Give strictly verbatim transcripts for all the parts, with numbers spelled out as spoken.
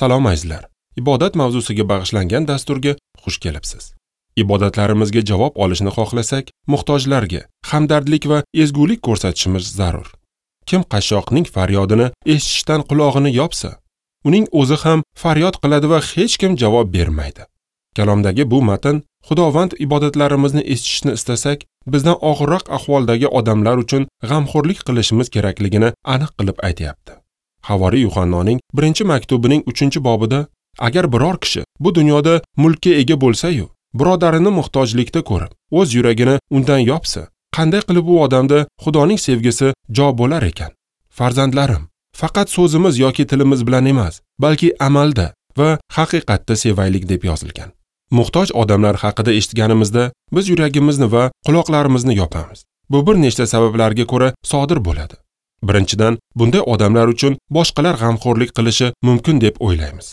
Salom azizlar. Ibodat mavzusiga bag'ishlangan dasturga xush kelibsiz. Ibodatlarimizga javob olishni xohlasak, muhtojlarga hamdardlik va ezgulik ko'rsatishimiz zarur. Kim qashshoqning faryodini eshitishdan qulog'ini yopsa, uning o'zi ham faryod qiladi va hech kim javob bermaydi. Kalomdagi bu matn Xudovand ibodatlarimizni eshitishni istasak, bizdan og'irroq ahvoldagi odamlar uchun g'amxo'rlik qilishimiz kerakligini aniq qilib aytayapti. Havoriy Yuhannoning birinchi maktubining uchinchi bobida agar biror kishi bu dunyoda mulkka ega bo'lsa-yu, birodarini muhtojlikda ko'rib, o'z yuragini undan yopsa, qanday qilib u odamda Xudoning sevgisi jo bo'lar ekan? Farzandlarim, faqat so'zimiz yoki tilimiz bilan emas, balki amalda va haqiqatda sevaylik deb yozilgan. Muhtoj odamlar haqida eshitganimizda biz yuragimizni va quloqlarimizni yopamiz. Bu bir nechta sabablarga ko'ra sodir bo'ladi. Birinchidan, bunday odamlar uchun boshqalar g'amxo'rlik qilishi mumkin deb o'ylaymiz.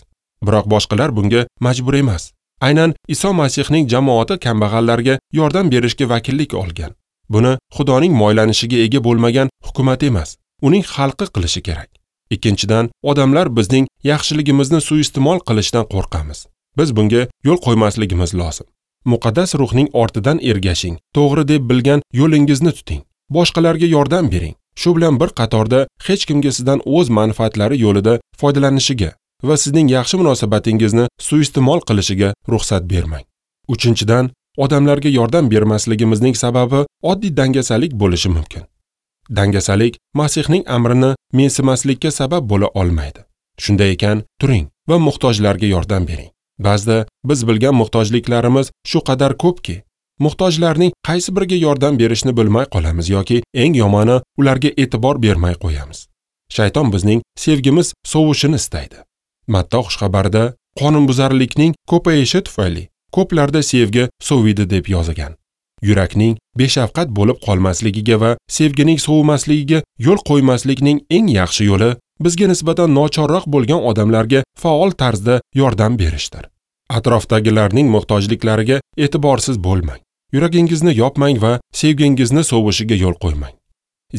Biroq boshqalar bunga majbur emas. Aynan Iso Masihning jamoati kambag'allarga yordam berishga vakillik olgan. Buni Xudoning moylanishiga ega bo'lmagan hukumat emas, uning xalqi qilishi kerak. Ikkinchidan, odamlar bizning yaxshiligimizni suiiste'mol qilishdan qo'rqamiz. Biz bunga yo'l qo'ymasligimiz lozim. Muqaddas ruhning ortidan ergashing, to'g'ri deb bilgan yo'lingizni tuting. Boshqalarga yordam bering. Shu bilan bir qatorda hech kimga sizdan o'z manfaatlari yo'lida foydalanishiga va sizning yaxshi munosabatingizni suiiste'mol qilishiga ruxsat bermang. Uchinchidan, odamlarga yordam bermasligimizning sababi oddiy dangasalik bo'lishi mumkin. Dangasalik Masihning amrini mensimaslikka sabab bo'la olmaydi. Shunday ekan, turing va muhtojlarga yordam bering. Ba'zida biz bilgan muhtojliklarimiz shu qadar ko'pki, muhtojlarning qaysi biriga yordam berishni bilmay qolamiz yoki eng yomoni ularga e'tibor bermay qo'yamiz. Shayton bizning sevgimiz sovishini istaydi. Matta xushxabarida qonunbuzarlikning ko'payishi tufayli ko'plarda sevgi soviydi deb yozilgan. Yurakning beshafqat bo'lib qolmasligiga va sevgining sovimasligiga yo'l qo'ymaslikning eng yaxshi yo'li bizga nisbatan nochorroq bo'lgan odamlarga faol tarzda yordam berishdir. Atrofdagilarning muhtojliklariga e'tiborsiz bo'lmang. Yuragingizni yopmang va sevgingizni sovishiga yo'l qo'ymang.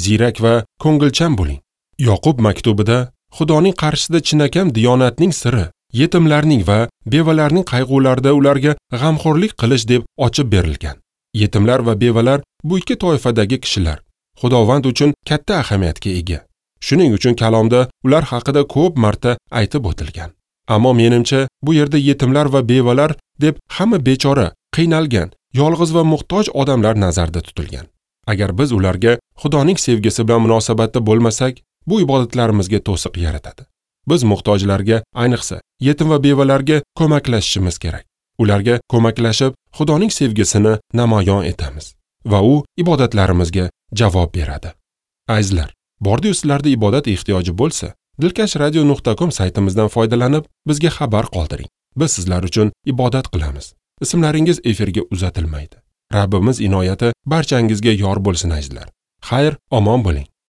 Ziyrak va ko'ngilchan bo'ling. Yoqub maktubida Xudoning qarshisida chinakam diyonatning siri yetimlarning va bevalarning qayg'ularida ularga g'amxo'rlik qilish deb ochib berilgan. Yetimlar va bevalar bu ikki toifadagi kishilar Xudovand uchun katta ahamiyatga ega. Shuning uchun kalomda ular haqida ko'p marta aytib o'tilgan. Ammo menimcha bu yerda yetimlar va bevalar deb hamma bechora, qiynalgan, yolg'iz va muhtoj odamlar nazarda tutilgan. Agar biz ularga Xudoning sevgisi bilan munosabatda bo'lmasak, bu ibodatlarimizga to'siq yaratadi. Biz muhtojlarga, ayniqsa yetim va bevalarga ko'maklashishimiz kerak. Ularga ko'maklashib, Xudoning sevgisini namoyon etamiz va u ibodatlarimizga javob beradi. Azizlar, bordi-yu sizlarda ibodat ehtiyoji bo'lsa, dilkash radio nuqta com saytimizdan foydalanib, bizga xabar qoldiring. Biz sizlar uchun ibodat qilamiz. Ismlaringiz efirga uzatilmaydi. Rabbimiz inoyati barchangizga yor bo'lsin azizlar. Xayr, omon bo'ling.